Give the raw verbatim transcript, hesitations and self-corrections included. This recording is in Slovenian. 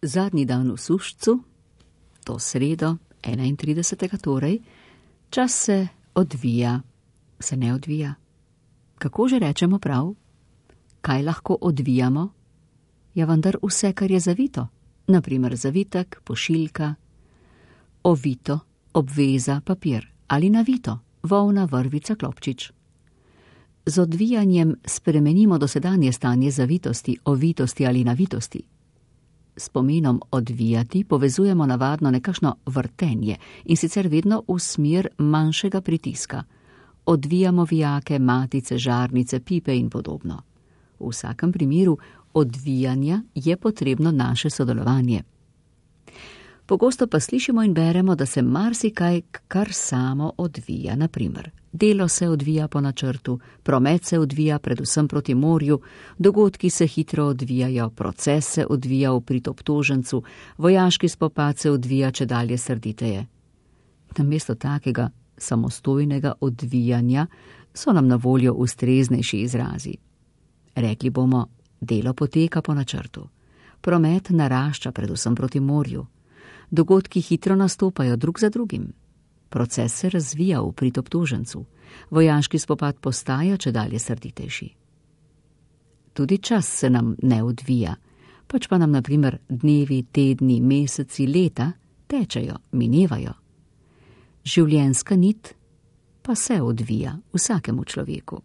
Zadnji dan v Sušcu, to sredo, enaintridesetega torej, čas se odvija, se ne odvija. Kako že rečemo prav? Kaj lahko odvijamo? Ja, vendar vse, kar je zavito. Naprimer zavitek, pošiljka, ovito, obveza, papir ali navito, volna, vrvica, klopčič. Z odvijanjem spremenimo dosedanje stanje zavitosti, ovitosti ali navitosti. S pomenom odvijati povezujemo navadno nekakšno vrtenje in sicer vedno v smer manjšega pritiska. Odvijamo vijake, matice, žarnice, pipe in podobno. V vsakem primeru odvijanja je potrebno naše sodelovanje. Pogosto pa slišimo in beremo, da se marsikaj kar samo odvija. Naprimer, delo se odvija po načrtu, promet se odvija predvsem proti morju, dogodki se hitro odvijajo, proces se odvija v prid obtožencu, vojaški spopad se odvija čedalje srditeje. Namesto takega samostojnega odvijanja so nam na voljo ustreznejši izrazi. Rekli bomo, delo poteka po načrtu, promet narašča predvsem proti morju, dogodki hitro nastopajo drug za drugim, proces se razvija v prid obtožencu, vojaški spopad postaja čedalje srditejši. Tudi čas se nam ne odvija, pač pa nam na primer dnevi, tedni, meseci, leta tečejo, minevajo. Življenjska nit pa se odvija vsakemu človeku.